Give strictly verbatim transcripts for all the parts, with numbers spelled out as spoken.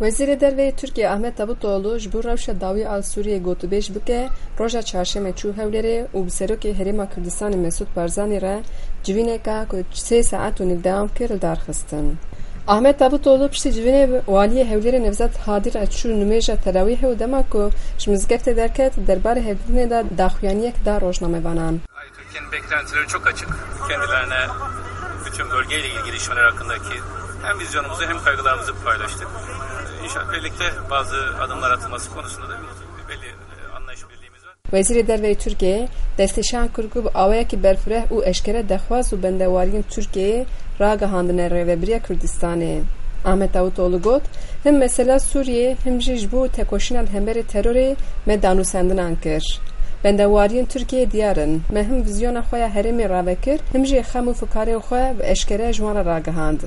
Wezîrê Derve yê Tirkiyê Ahmet Davutoglu ji bo rewşa dawî a li Sûriyeyê gotûbêj bike, roja çarşemê çû Hewlêrê û bi Serokê Herêma Kurdistanê Mesûd Barzanî re civîneka ku sê saet û nîv dewam kir li dar xistin. Ahmet Davutoglu piştî civînê bi waliyê Hewlêrê Nevzat Hadî re çû nimêja terawîhê û dema ku ji mizgeftê derket, derbarê hevdîtinê de daxuyaniyek da rojnamevanan. Türkiye'nin beklentileri çok açık. Kendilerine bütün bölgeyle ilgili işler hakkındaki hem vizyonumuzu hem kaygılarımızı paylaştık. İnşallah birlikte bazı adımlar atılması konusunda da bir belli, e, anlayış birliğimiz var. Wezîrê Derve yê Tirkiyê destnîşan kir ku bi awayekî berfireh û eşkere dexwaz û bendewariyên Tirkiyeyê ragihandine Rêvebiriya Kurdistanê. Ahmet Davutoglu got, Him mesela Sûriyeyê, him jî ji bo tekoşîna li hemberî terorê me danûstendinan kir. Bendewariyên Tirkiyeyê diyar in. Me him vizyona xwe ya herêmê rave kir, him jî xem û fikarên xwe bi eşkere ji wan re ragihand.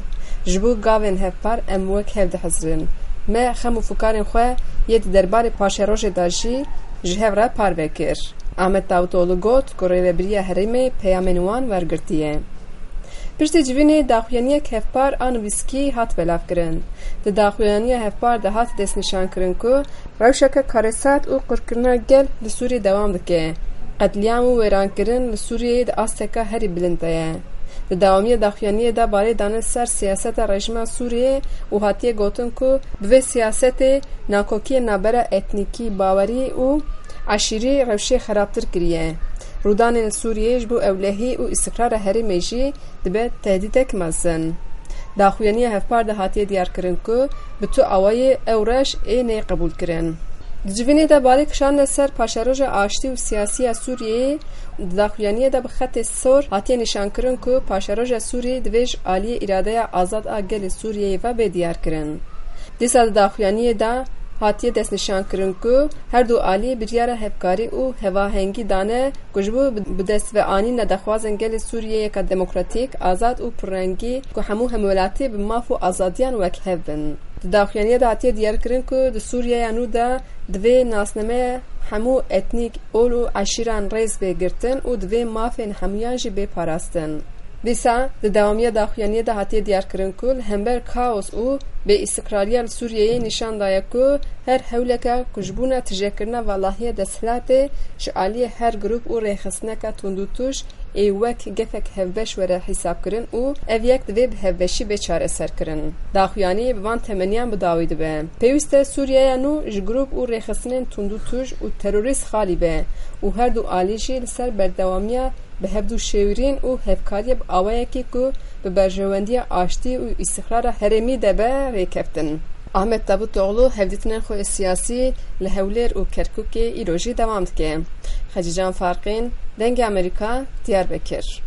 Ji bo gavên hevpar em wek hev dihizirin. Me xem û fikarên xwe yê di derbarê paşerojê de jî ji hev re parve kir. Ahmet Davutoglu got ku rêvebiriya herêmê peyamên wan wergirtiye. Piştî civînê daxuyaniyek hevpar a nivîskî hat belavkirin. Di daxuyaniya hevpar de hat destnîşankirin ku rewşeke karesat û qirkirina gel li Sûriyê dewam dike. Qetlîam û wêrankirin li Sûriyeyê di asteka herî bilind de ye. Di dewamiya daxuyaniyê de balê dane ser siyaseta rejîma Sûriyeyê û hatiye gotin ku bi vê siyasetê nakokiyên navbera etnîkî, bawerî û eşîrî rewşê xerabtir kiriye. Rûdanên li Sûriyeyê ji bo ewlehî û îstiqrara herêmê jî dibe tehdîdek mezin. Daxuyaniya hevpar de hatiye diyarkirin ku bi tu awayî ew reş ê neyê qebûlkirin. Di civînê de balê kişandine ser paşeroja aştî û siyasî ya Sûriyeyê, di daxuyaniyê de bi xetê sor hatiye nîşankirin ku paşeroja Sûrî divê ji aliyê îradeya azad a gelê Sûriyeyê ve bê diyarkirin. Dîsa di daxuyaniyê de hatiye destnîşankirin ku her du alî biryara hevkarî û hevahengî dane ku ji bo bi destveanîna daxwazên gelê Sûriyeyê yeka demokratîk, azad û pirrengî ku hemû hemwelatî bi maf û azadiyan wek hev bin. Di daxuyaniyê de hatiye diyarkirin ku di Sûriyeya nû de divê nasnameya hemû etnîk, ol û eşîran rêz bê girtin û divê mafên hemûyan jî bê parastin. Dîsa di dewamiya daxuyaniyê de hatiye diyarkirin ku li hember kaos û bêîstiqrariya li Sûriyeyê nîşan daye ku her hewleke ku ji bona tijekirina valahiyê desthilatê ji aliyê her grûp û rêxistineke tundûtûj ê wek gefek hevbeş were hîsabkirin û ev yek divê bi hevbeşî bê çareserkirin. Daxuyanî bi van temeniyan bi dawî dibe. Pêwîst e Sûriyeya nû ji grûp û rêxistinên tundûtûj û terorîst xalî be û her du alî jî li ser berdewamiya bi hevdû şêwirîn û hevkariyê bi awayekî ku bi berjewendiya aştî û îstîqrara herêmî de be rêkeftin. Ahmet Davutoglu hevdîtinên xwe siyasî li Hewlêr û Kerkûkê îro jî dewam dike. Xecîcan Farqîn, Dengê Amerîka, Diyarbekir.